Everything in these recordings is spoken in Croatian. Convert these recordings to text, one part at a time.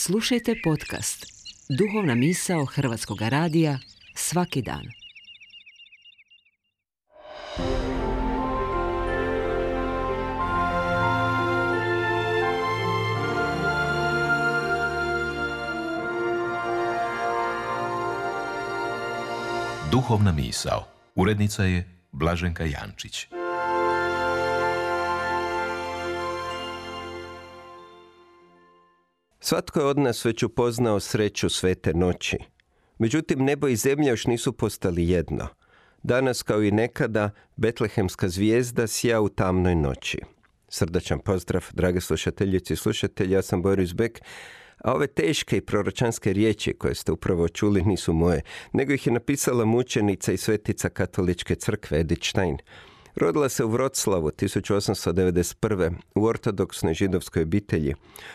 Slušajte podcast Duhovna misao Hrvatskog radija svaki dan. Duhovna misao. Urednica je Blaženka Jančić. Svatko je od nas već upoznao sreću svete noći. Međutim, nebo i zemlja još nisu postali jedno. Danas, kao i nekada, betlehemska zvijezda sija u tamnoj noći. Srdačan pozdrav, drage slušateljice i slušatelji, ja sam Boris Bek, a ove teške i proročanske riječi koje ste upravo čuli nisu moje, nego ih je napisala mučenica i svetica katoličke crkve Edith Stein. Rodila se u Vroclavu 1891. u ortodoksnoj židovskoj obitelji.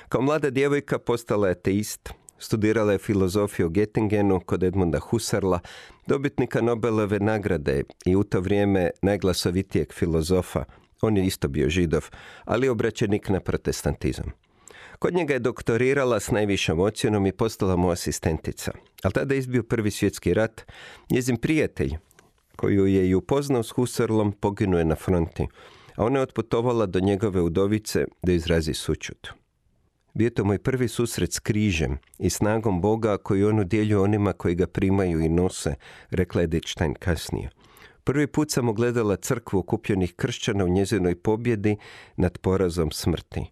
Kao mlada djevojka postala je ateist, studirala je filozofiju u Göttingenu kod Edmunda Husserla, dobitnika Nobelove nagrade i u to vrijeme najglasovitijeg filozofa. On je isto bio židov, ali obraćenik na protestantizam. Kod njega je doktorirala s najvišom ocjenom i postala mu asistentica. Ali tada je izbio Prvi svjetski rat. Njezin prijatelj, koju je i upoznao s Husserlom, poginuo je na fronti, a ona je otputovala do njegove udovice da izrazi sućut. Bio to moj prvi susret s križem i snagom Boga koju on udjeljuje onima koji ga primaju i nose, rekla Edith Stein kasnije. Prvi put sam ugledala crkvu okupljenih kršćana u njezinoj pobjedi nad porazom smrti.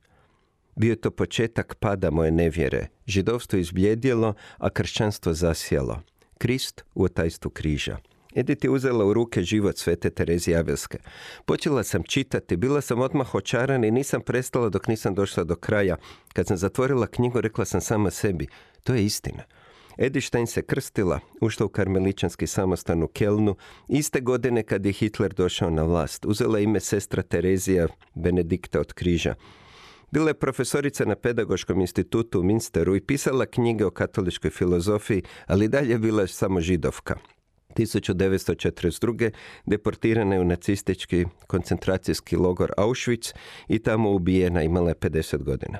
Bio je to početak pada moje nevjere. Židovstvo izbljedjelo, a kršćanstvo zasjelo. Krist u otajstvu križa. Edith je uzela u ruke život svete Terezije Avelske. Počela sam čitati, bila sam odmah očarana i nisam prestala dok nisam došla do kraja. Kad sam zatvorila knjigu, rekla sam sama sebi, to je istina. Edith Stein se krstila, ušla u karmeličanski samostan u Kelnu, iste godine kad je Hitler došao na vlast. Uzela ime sestra Terezija Benedikta od križa. Bila je profesorica na Pedagoškom institutu u Minsteru i pisala knjige o katoličkoj filozofiji, ali dalje bila je samo židovka. 1942. deportirana je u nacistički koncentracijski logor Auschwitz i tamo ubijena, imala je 50 godina.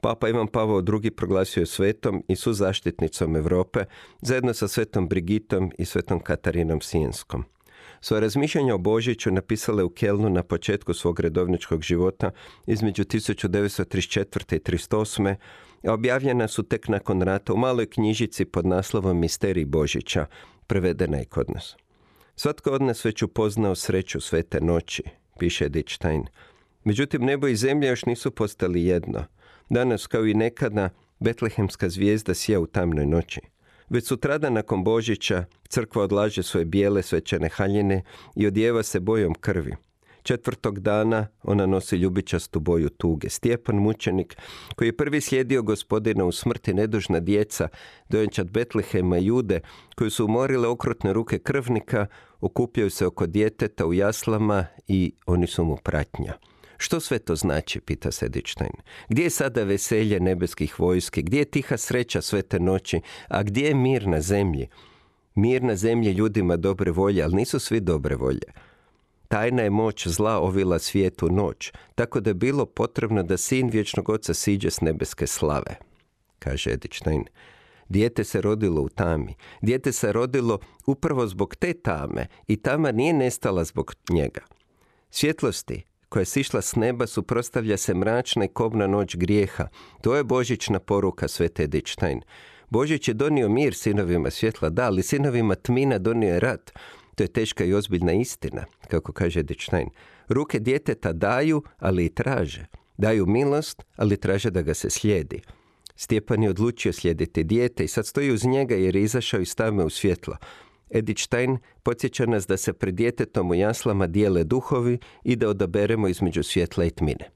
Papa Ivan Pavao II. Proglasio je svetom i suzaštitnicom Europe, zajedno sa svetom Brigitom i svetom Katarinom Sijenskom. Svoje razmišljanja o Božiću napisala je u Kelnu na početku svog redovničkog života između 1934. i 1938. a objavljena su tek nakon rata u maloj knjižici pod naslovom Misterij Božića, prevedena je kod nas. Svatko od nas već upoznao sreću svete noći, piše Edith Stein. Međutim, nebo i zemlja još nisu postali jedno. Danas, kao i nekada, betlehemska zvijezda sija u tamnoj noći. Već sutradan nakon Božića crkva odlaže svoje bijele svečane haljine i odijeva se bojom krvi. Četvrtog dana ona nosi ljubičastu boju tuge. Stjepan mučenik, koji je prvi slijedio Gospodina u smrti, nedužna djeca, dojenčad Betlehema i Jude, koji su umorile okrutne ruke krvnika, okupljaju se oko djeteta u jaslama i oni su mu pratnja. Što sve to znači, pita se Edith Stein. Gdje je sada veselje nebeskih vojski? Gdje je tiha sreća svete noći? A gdje je mir na zemlji? Mir na zemlji ljudima dobre volje, ali nisu svi dobre volje. Tajna je moć zla ovila svijetu noć, tako da je bilo potrebno da sin vječnog oca siđe s nebeske slave, kaže Edith Stein. Dijete se rodilo u tami. Dijete se rodilo upravo zbog te tame i tama nije nestala zbog njega. Svjetlosti koja je sišla s neba suprotstavlja se mračna i kobna noć grijeha. To je božićna poruka svete Edith Stein. Božić je donio mir sinovima svjetla, da, ali sinovima tmina donio je rat. To je teška i ozbiljna istina, kako kaže Edith Stein. Ruke djeteta daju, ali i traže. Daju milost, ali traže da ga se slijedi. Stjepan je odlučio slijediti dijete i sad stoji uz njega jer je izašao iz tame u svjetlo. Edith Stein podsjeća nas da se pred djetetom u jaslama dijele duhovi i da odaberemo između svjetla i tmine.